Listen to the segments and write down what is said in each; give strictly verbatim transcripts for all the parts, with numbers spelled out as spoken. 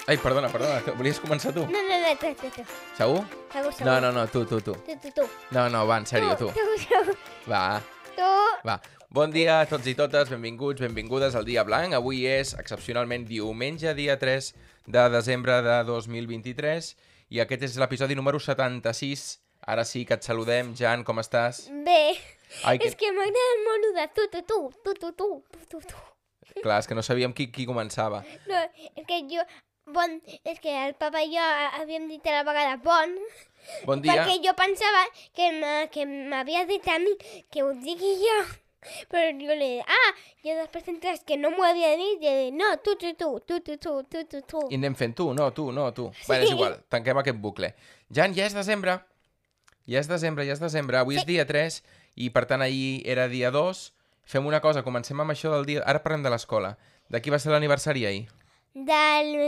Ai, perdona, perdona, volies començar tu? No, no, no, tu, tu, tu. Segur? Segur, segur. No, no, no, tu, tu, tu. Tu, tu, tu. No, no, va, en sèrio, tu. Tu, tu, Va, tu. va. Bon dia a tots i totes, benvinguts, benvingudes al Dia Blanc. Avui és, excepcionalment, diumenge, dia tres de desembre de dos mil vint-i-tres, i aquest és l'episodi número setanta-sis. Ara sí que et saludem. Jan, com estàs? Bé, Ai, que... és que m'agrada molt lo de tu, tu, tu, tu, tu, tu, tu, tu, tu. Clar, és que no sabíem qui, qui començava. No, és que jo... Bon, és que el papa i jo havíem dit a la vegada bon, Bon dia. perquè jo pensava que m- que m'havia dit a mi que ho digui jo, però jo li dic, ah, jo després entres que no m'ho havia dit, i he dit, no, tu, tu, tu, tu, tu, tu, tu, tu, tu. I anem fent tu, no, tu, no, tu. Sí. Bé, és igual, tanquem aquest bucle. Jan, ja és desembre. Ja és desembre, ja és desembre. Avui sí. És dia tres i, per tant, ahir era dia dos. Fem una cosa, comencem amb això del dia... Ara parlem de l'escola. De qui va ser l'aniversari ahir? De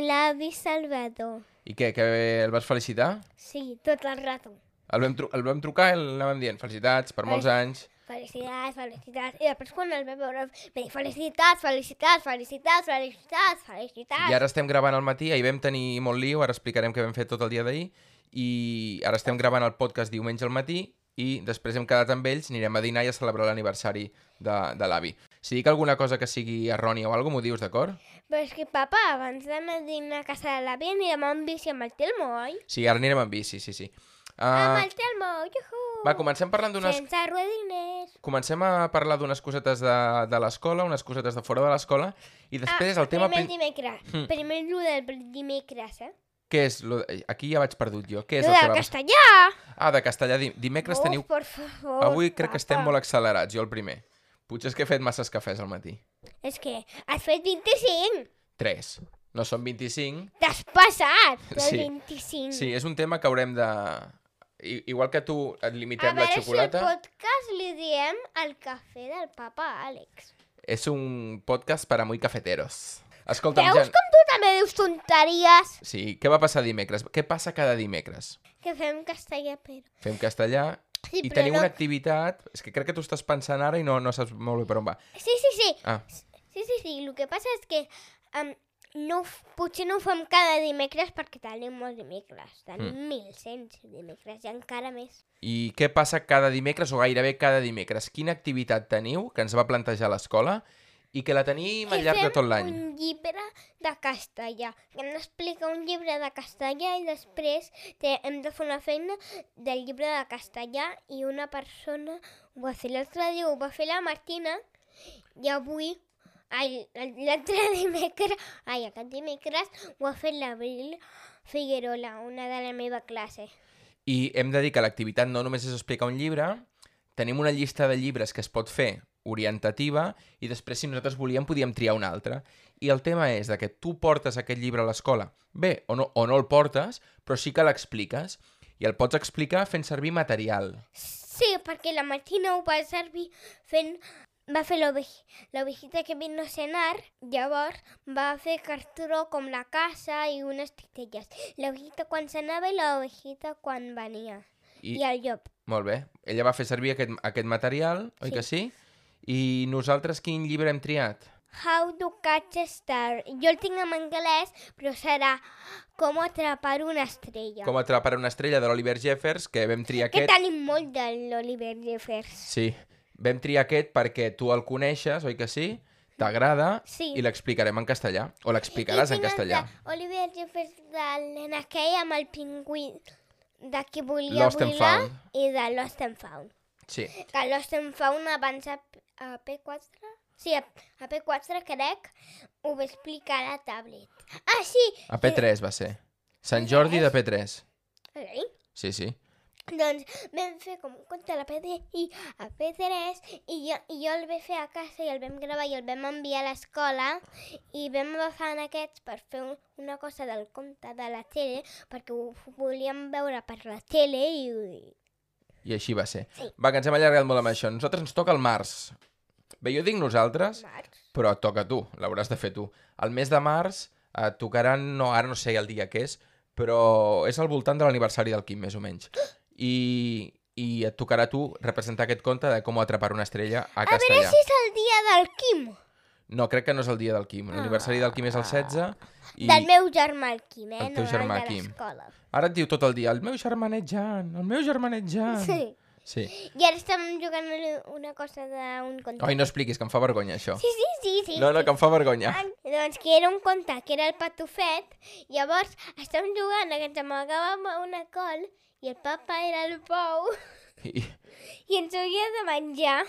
l'avi Salvador. I què, que el vas felicitar? Sí, tot el rato. El vam, tru el vam trucar i el anàvem dient felicitats per molts anys. Felicitats, felicitats. I després quan el vam veure, va dir felicitats, felicitats, felicitats, felicitats, felicitats. I ara estem gravant al matí, ahir vam tenir molt lío, ara explicarem què vam fer tot el dia d'ahir, i ara estem gravant el podcast diumenge al matí, i després hem quedat amb ells, anirem a dinar i a celebrar l'aniversari de, de l'avi. Si dic alguna cosa que sigui errònia o alguna cosa, m'ho dius, d'acord? Però és que, papa, abans d'anar a dinar a casa de l'avi anirem amb bici amb el Telmo, oi? Sí, ara anirem amb bici, sí, sí. Uh, Amb el Telmo, juhu! va, comencem parlant d'unes... Sense ruedines. Comencem a parlar d'unes cosetes de, de l'escola, unes cosetes de fora de l'escola, i després el tema... primer prin- dimecres. Hmm. Primer el del dimecres, eh? Què és? Lo... Aquí ja vaig perdut jo. Què és Lo el que del va... castellà! Ah, de castellà. Dim- Dimecres Uf, teniu... por favor, Avui crec que estem papa. molt accelerats, jo el primer. Potser és que he fet masses cafès al matí. És que has fet vint-i-cinc. Tres. No són vint-i-cinc. T'has passat del Sí. vint-i-cinc. Sí, és un tema que haurem de... I- Igual que tu et A limitem la veure xocolata, si al podcast li diem el cafè del papa Àlex. és un podcast per a muy cafeteros. Escolta'm, Veus Jan... com tu també dius tonteries? Sí, què va passar dimecres? Què passa cada dimecres? Que fem castellà, però... Fem castellà Sí, i però tenim no... una activitat... És que crec que tu estàs pensant ara i no, no saps molt bé per on va. Sí, sí, sí. Ah, Sí, sí, sí. El que passa és que um, no, f- potser no ho fem cada dimecres perquè tenim molts dimecres. Tenim Mm. mil cent dimecres i encara més. i què passa cada dimecres o gairebé cada dimecres? Quina activitat teniu que ens va plantejar l'escola i que la tenim al Que llarg de fem tot l'any? un llibre de castellà. Que ens explica un llibre de castellà i després te, hem de fer una feina del llibre de castellà i una persona ho va fer l'altre dia, ho va fer la Martina i avui, ai, l'altre dimecres, ai, aquest dimecres ho ha fet l'Abril Figuerola, una de la meva classe. I hem de dir que l'activitat no només és explicar un llibre, tenim una llista de llibres que es pot fer orientativa i després, si nosaltres volíem, podíem triar un altre. I el tema és de que tu portes aquest llibre a l'escola, bé, o no, o no el portes, però sí que l'expliques. I el pots explicar fent servir material. Sí, perquè la Martina ho va servir fent... Va fer l'ovej- l'ovejita que vino a cenar, llavors va fer cartró com la casa i unes titelles. L'ovejita quan s'anava i l'ovejita quan venia. I, I el llop. Molt bé. Ella va fer servir aquest, aquest material, oi Sí. que sí? I nosaltres quin llibre hem triat? How to catch a star. Jo el tinc en anglès, però serà com atrapar una estrella. Com atrapar una estrella de l'Oliver Jeffers, que vam triar Que aquest. tenim molt de l'Oliver Jeffers. Sí, vam triar aquest perquè tu el coneixes, oi que sí? T'agrada Sí. i l'explicarem en castellà. O l'explicaràs en castellà. Oliver Jeffers de l'N K amb el pingüí de qui volia Lost and volar Found. i de Lost and Found. Sí. Que Lost and Found abans a, a P quatre? Sí, a, a P quatre crec ho va explicar a la tablet. Ah, sí! A P tres va ser. Sant Jordi de P tres. Sí. Sí, sí. Doncs vam fer com un conte a la P D i a P tres i jo, i jo el vaig fer a casa i el vam gravar i el vam enviar a l'escola i vam agafar en aquests per fer un, una cosa del conte de la tele perquè ho volíem veure per la tele i... I així va ser. Sí. Va, que ens hem allargat molt amb això. Nosaltres ens toca el març. Bé, jo dic nosaltres, Març. però et toca a tu. L'hauràs de fer tu. El mes de març et tocaran, no, ara no sé el dia que és, però és al voltant de l'aniversari del Quim, més o menys. I, i et tocarà a tu representar aquest conte de com atrapar una estrella a A veure castellà. si és el dia del Quim. No, crec que no és el dia del Quim. L'aniversari del Quim és el setze. I... Del meu germà el Quim, eh? El teu no germà el de Quim. l'escola. Ara et diu tot el dia, el meu germanet Jan, el meu germanet Jan. Sí. Sí. I ara estem jugant una cosa d'un conte. Oi, no expliquis, que em fa vergonya, això. Sí, sí, sí, sí. No, no, que em fa vergonya. Ah, doncs que era un conte, que era el patufet, llavors estem jugant a que ens amagàvem a una col i el papa era el pou I, i ens havia de menjar.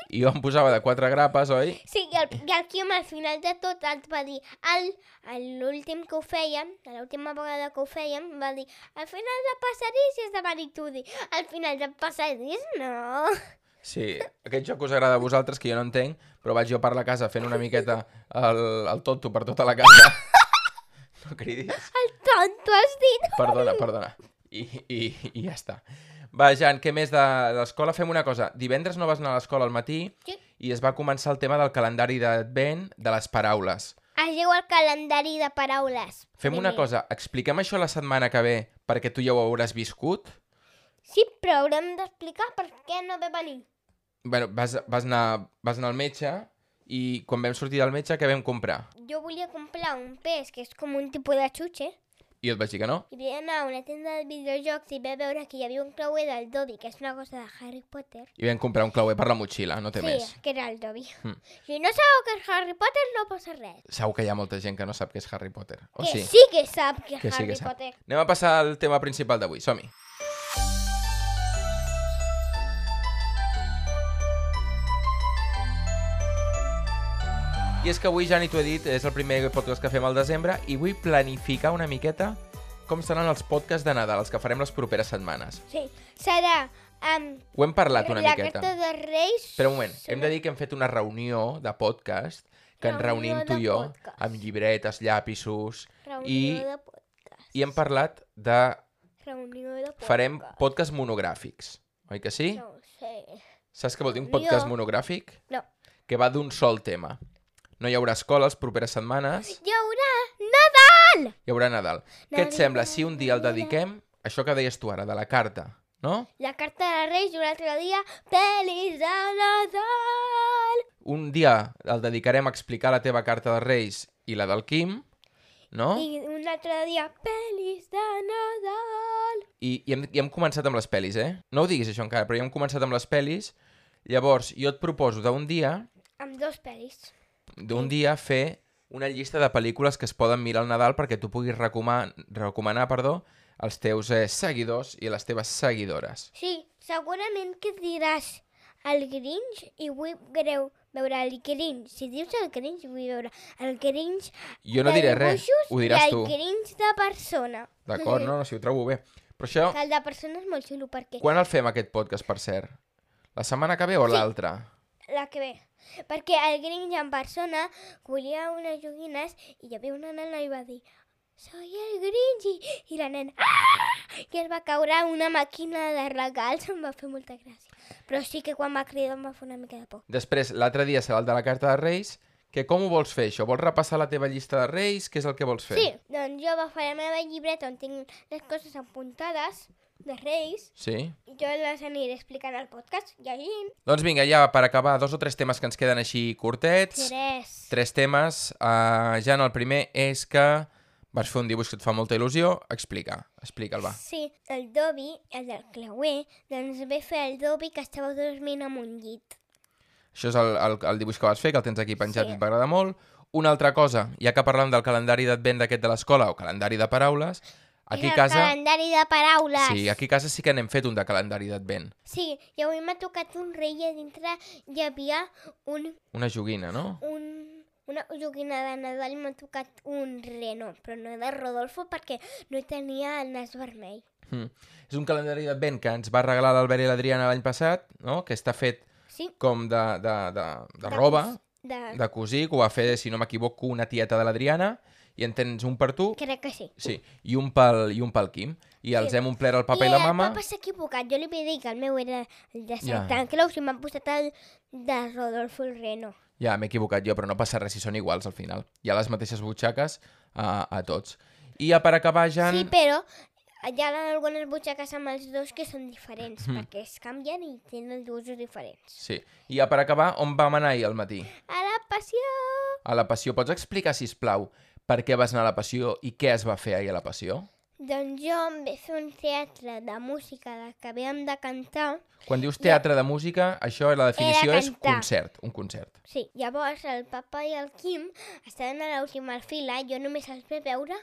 i jo em posava de quatre grapes, oi? Sí, i el, i el Quim al final de tot ens va dir, al, a l'últim que ho fèiem, a l'última vegada que ho fèiem, va dir, al final del passadís és de Maritudi, al final del passadís no. Sí, aquest joc us agrada a vosaltres, que jo no entenc, però vaig jo per la casa fent una miqueta el, el tonto per tota la casa. No cridis. El tonto has dit. Perdona, perdona. I, i, i ja està. Va, Jan, què més de, de l'escola? Fem una cosa. Divendres no vas anar a l'escola al matí Sí. i es va començar el tema del calendari d'advent de les paraules. Es diu el calendari de paraules. Fem una primer. cosa, expliquem això la setmana que ve perquè tu ja ho hauràs viscut. Sí, però haurem d'explicar per què no ve venir. Bueno, vas, vas, anar, vas anar al metge i quan vam sortir del metge, què vam comprar? Jo volia comprar un pes que és com un tipus de xutxe I jo et vaig dir que no. i vaig anar a una tenda de videojocs i vaig veure que hi havia un clauer del Dobby, que és una cosa de Harry Potter. I vam comprar un clauer per la motxilla, no té Sí, més. que era el Dobby. Mm. Si no sabeu que és Harry Potter, no passa res. Segur que hi ha molta gent que no sap què és Harry Potter. O que sí? sí que sap que és Que sí Harry que sap. Potter. Anem a passar al tema principal d'avui. Som-hi. I és que avui, Jani, t'ho he dit, és el primer podcast que fem al desembre i vull planificar una miqueta com seran els podcasts de Nadal, els que farem les properes setmanes. Sí, serà amb Ho hem parlat una la miqueta. carta de Reis... Espera un moment, hem de dir que hem fet una reunió de podcast, que ens Reunió reunim tu de i jo, podcast. amb llibretes, llapisos, Reunió i, de podcast. i hem parlat de... Reunió de podcast. Farem podcasts monogràfics, oi que sí? No ho sé. Saps què vol dir un Reunió. podcast monogràfic? No. Que va d'un sol tema. No hi haurà escola les properes setmanes, Hi haurà Nadal! hi haurà Nadal. Què et Nadal, sembla si un dia el Nadal. dediquem, això que deies tu ara, de la carta, no? La carta de Reis i un altre dia pel·lis de Nadal. Un dia el dedicarem a explicar la teva carta de Reis i la del Quim, no? I un altre dia pel·lis de Nadal. I, i, hem, I hem començat amb les pel·lis, eh? No ho diguis això encara, però ja hem començat amb les pel·lis. Llavors, jo et proposo d'un dia, Amb dos pel·lis. d'un dia fer una llista de pel·lícules que es poden mirar al Nadal perquè tu puguis recomanar, recomanar perdó, als teus eh, seguidors i a les teves seguidores. Sí, segurament que diràs el Grinch i vull greu veure el Grinch. Si dius el Grinch, vull veure el Grinch Jo no de diré res, dibuixos ho diràs i el tu. Grinch de persona. D'acord, no, no, si ho trobo bé. Però això, Que el de persona és molt xulo perquè quan el fem aquest podcast, per cert? La setmana que ve o Sí. l'altra? la que ve. Perquè el Grinch en persona volia unes joguines i hi havia una nena i va dir soy el Grinch i, i la nena ah! i es va caure una màquina de regals, em va fer molta gràcia. Però sí que quan va cridar em va fer una mica de por. Després, l'altre dia serà el de la carta de Reis, que com ho vols fer, això? Vols repassar la teva llista de Reis? Què és el que vols fer? Sí, doncs jo agafaré la meva llibreta on tinc les coses apuntades de Reis Sí? i jo les aniré explicant al podcast, llegint. Doncs vinga, ja per acabar, dos o tres temes que ens queden així curtets. Tres. Tres temes. Uh, Jan, el primer és que vas fer un dibuix que et fa molta il·lusió. Explica, explica'l, va. Sí, el Dobby, el del clauer, doncs ve fer el Dobby que estava dormint en un llit. Això és el, el, el dibuix que vas fer, que el tens aquí penjat Sí. i et va agradar molt. Una altra cosa, ja que parlem del calendari d'advent d'aquest de l'escola, o calendari de paraules, aquí és a el casa... calendari de paraules. Sí, aquí a casa sí que n'hem fet un de calendari d'advent. Sí, i avui m'ha tocat un rei i a dintre hi havia un, Una joguina, no? un, una joguina de Nadal i m'ha tocat un reno, però no de Rodolfo perquè no tenia el nas vermell. Mm. És un calendari d'advent que ens va regalar l'Albert i l'Adriana l'any passat, no? Que està fet Sí, com de, de, de, de De roba, cos- de... de cosir, que ho va fer, si no m'equivoco, una tieta de l'Adriana, i en tens un per tu, crec que sí. sí, i un pel, i un pel Quim. I els Sí. hem omplert el papa i, I la el mama. papa s'ha equivocat, jo li vaig dir que el meu era el de Ja. Santa Claus i m'han posat el de Rodolfo el reno. Ja, m'he equivocat jo, però no passa res si són iguals al final. Hi ha les mateixes butxaques a, a tots. I ja per acabar, Jan... Sí, però hi ha algunes butxaques amb els dos que són diferents, Mhm. perquè es canvien i tenen usos diferents. Sí. I ja per acabar, on vam anar ahir al matí? A la passió! a la Passió. Pots explicar, sisplau, per què vas anar a la Passió i què es va fer ahir a la Passió? Doncs jo em vaig fer un teatre de música de que havíem de cantar. Quan dius teatre de música, això la definició és cantar. concert, un concert. Sí, llavors el papa i el Quim estaven a l'última fila, jo només els vaig veure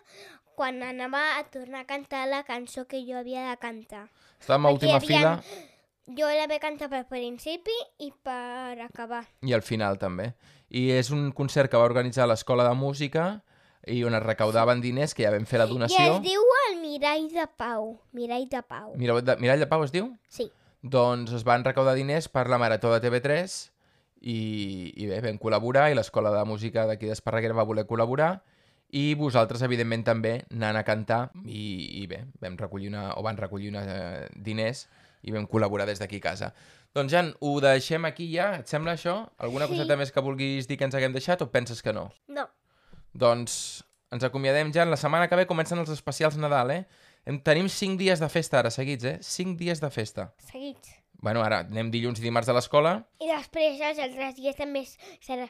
quan anava a tornar a cantar la cançó que jo havia de cantar. Estàvem a última Perquè fila havien- Jo la vaig cantar per principi i per acabar. i al final també. I és un concert que va organitzar l'Escola de Música i on es recaudaven diners, que ja vam fer la I donació. es diu el Mirall de Pau. Mirall de Pau. Mirall de, Mirall de Pau es diu? Sí. Doncs es van recaudar diners per la Marató de T V tres i, i bé, vam col·laborar i l'Escola de Música d'aquí d'Esparreguera va voler col·laborar i vosaltres, evidentment, també anant a cantar i, i bé, vam recollir una, o van recollir una, eh, diners i vam col·laborar des d'aquí a casa. Doncs, Jan, ho deixem aquí ja. Et sembla això? Alguna Sí. coseta més que vulguis dir que ens haguem deixat o penses que no? No. Doncs ens acomiadem, Jan. La setmana que ve comencen els especials Nadal, eh? Em, tenim cinc dies de festa ara seguits, eh? cinc dies de festa. Seguits. Bueno, ara anem dilluns i dimarts a l'escola. I després els altres dies també serà...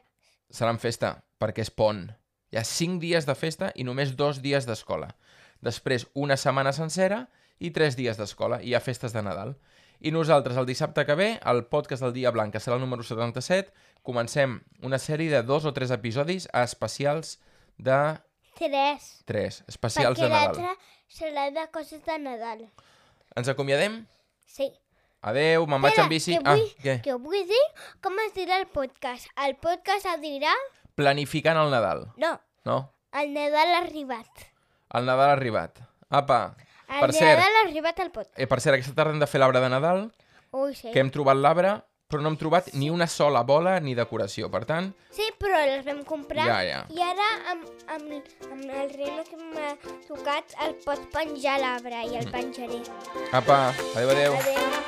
Seran festa, perquè és pont. Hi ha cinc dies de festa i només dos dies d'escola. Després una setmana sencera i tres dies d'escola. I hi ha festes de Nadal. I nosaltres, el dissabte que ve, el podcast del Dia Blanc, que serà el número setanta-set, comencem una sèrie de dos o tres episodis especials de... Tres. Tres. Especials de Perquè Nadal. l'altre serà de coses de Nadal. Ens acomiadem? Sí. Adeu, me'n vaig en bici. que vull, Ah, què? que vull dir com es dirà el podcast. El podcast es dirà... Planificant el Nadal, No, no? el Nadal ha arribat. El Nadal ha arribat. Apa, El per Nadal cert, ha arribat al podcast. eh, per cert, aquesta tarda hem de fer l'arbre de Nadal, Ui, sí. que hem trobat l'arbre, però no hem trobat ni una sola bola ni decoració. Per tant, Sí, però les vam comprar. Ja, ja. I ara, amb, amb, amb el reno que m'ha tocat, el pots penjar a l'arbre i el penjaré. apa, adeu, adeu. Adéu.